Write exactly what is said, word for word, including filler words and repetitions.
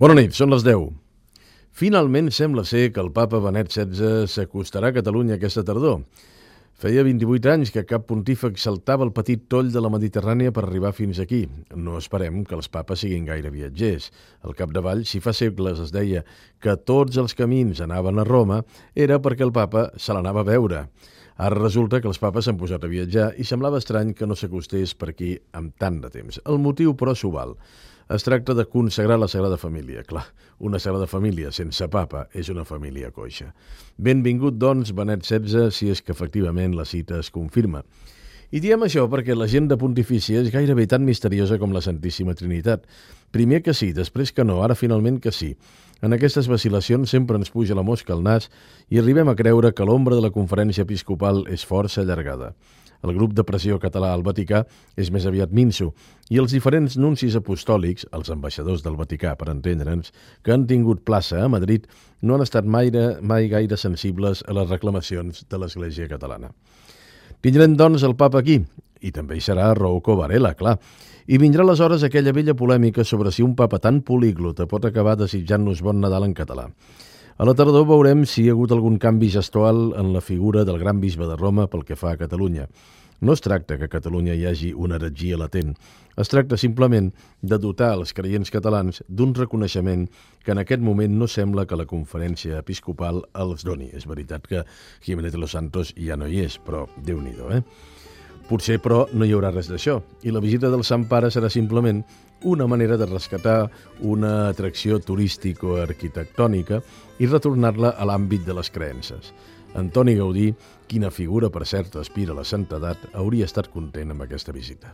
Bona nit, són les deu. Finalment sembla ser que el papa Benet setze s'acostarà a Catalunya aquesta tardor. Feia vint-i-vuit anys que cap pontífex saltava el petit toll de la Mediterrània per arribar fins aquí. No esperem que els papes siguin gaire viatgers. Al capdavall, si fa segles es deia que tots els camins anaven a Roma, era perquè el papa se l'anava a veure. Ara resulta que els papes s'han posat a viatjar i semblava estrany que no s'acostés per aquí amb tant de temps. El motiu, però, s'ho val. Es tracta de consagrar la Sagrada Família. Clar, una Sagrada Família sense papa és una família coixa. Benvingut, doncs, Benet setze, si és que efectivament la cita es confirma. I diem això perquè l'agenda pontifícia és gairebé tan misteriosa com la Santíssima Trinitat. Primer que sí, després que no, ara finalment que sí. En aquestes vacil·lacions sempre ens puja la mosca al nas i arribem a creure que l'ombra de la conferència episcopal és força allargada. El grup de pressió català al Vaticà és més aviat minso i els diferents nuncis apostòlics, els ambaixadors del Vaticà, per entendre'ns, que han tingut plaça a Madrid, no han estat mai, mai gaire sensibles a les reclamacions de l'Església catalana. Tindrem, doncs, el papa aquí, i també hi serà Rouco Varela, clar. I vindrà aleshores aquella vella polèmica sobre si un papa tan políglota pot acabar desitjant-nos bon Nadal en català. A la tardor veurem si hi ha hagut algun canvi gestual en la figura del gran bisbe de Roma pel que fa a Catalunya. No es tracta que a Catalunya hi hagi una heretgia latent. Es tracta simplement de dotar els creients catalans d'un reconeixement que en aquest moment no sembla que la conferència episcopal els doni. És veritat que Jiménez de los Santos ja no hi és, però Déu-n'hi-do, eh? Potser, però, no hi haurà res d'això, i la visita del Sant Pare serà simplement una manera de rescatar una atracció turístico-arquitectònica i retornar-la a l'àmbit de les creences. Antoni Gaudí, quina figura, per cert, aspira a la santedat, hauria estat content amb aquesta visita.